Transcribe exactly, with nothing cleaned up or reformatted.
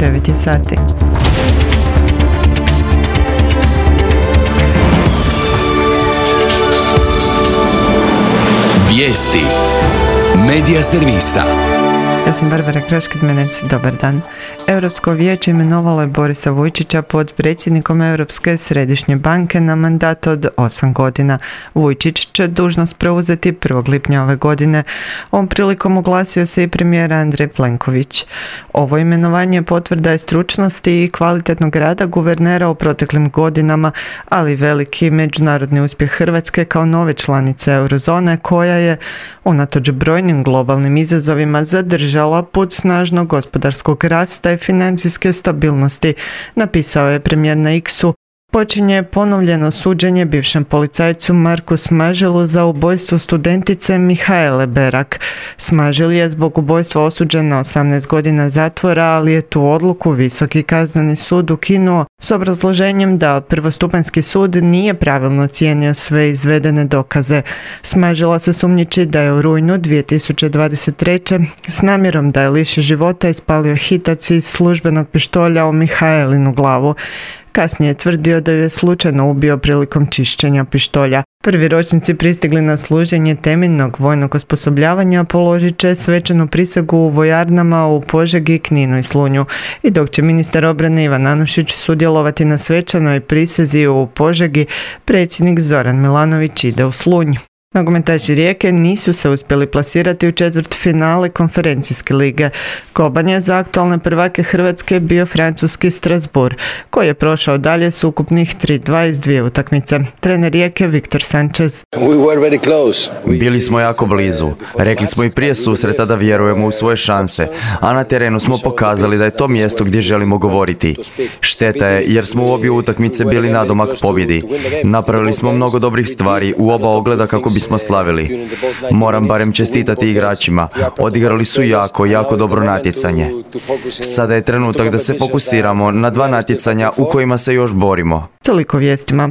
devet je sati. Vijesti Medija servisa. Ja sam Barbara Kraškid-Menec, dobar dan. Europsko vijeće imenovalo je Borisa Vujčića potpredsjednikom Europske središnje banke na mandat od osam godina. Vujčić će dužnost preuzeti prvog lipnja ove godine. Ovom prilikom oglasio se i premijer Andrej Plenković. Ovo imenovanje potvrda je stručnosti i kvalitetnog rada guvernera u proteklim godinama, ali veliki međunarodni uspjeh Hrvatske kao nove članice eurozone koja je, unatoč brojnim globalnim izazovima, zadržala put snažnog gospodarskog rasta i financijske stabilnosti, napisao je premijer na X-u. Počinje ponovljeno suđenje bivšem policajcu Marku Smaželu za ubojstvo studentice Mihaele Berak. Smažel je zbog ubojstva osuđen na osamnaest godina zatvora, ali je tu odluku Visoki kazneni sud ukinuo s obrazloženjem da prvostupanjski sud nije pravilno cijenio sve izvedene dokaze. Smažela se sumnjiči da je u rujnu dvije tisuće dvadeset treće s namjerom da je liši života ispalio hitac iz službenog pištolja u Mihaelinu glavu. Kasnije je tvrdio da ju je slučajno ubio prilikom čišćenja pištolja. Prvi ročnici pristigli na služenje temeljnog vojnog osposobljavanja položit će svečanu prisegu u vojarnama u Požegi, Kninu i Slunju. I dok će ministar obrane Ivan Anušić sudjelovati na svečanoj prisezi u Požegi, predsjednik Zoran Milanović ide u Slunj. Nogometaši Rijeke nisu se uspjeli plasirati u četvrtfinale konferencijske lige. Koban je za aktualne prvake Hrvatske bio francuski Strasbourg, koji je prošao dalje s ukupnih tri dva iz dvije utakmice. Trener Rijeke Viktor Sanchez. Bili smo jako blizu. Rekli smo i prije susreta da vjerujemo u svoje šanse, a na terenu smo pokazali da je to mjesto gdje želimo govoriti. Šteta je jer smo u obje utakmice bili nadomak pobjedi. Napravili smo mnogo dobrih stvari u oba ogleda kako bi smo slavili. Moram barem čestitati igračima. Odigrali su jako, jako dobro natjecanje. Sada je trenutak da se fokusiramo na dva natjecanja u kojima se još borimo. Toliko vijestima.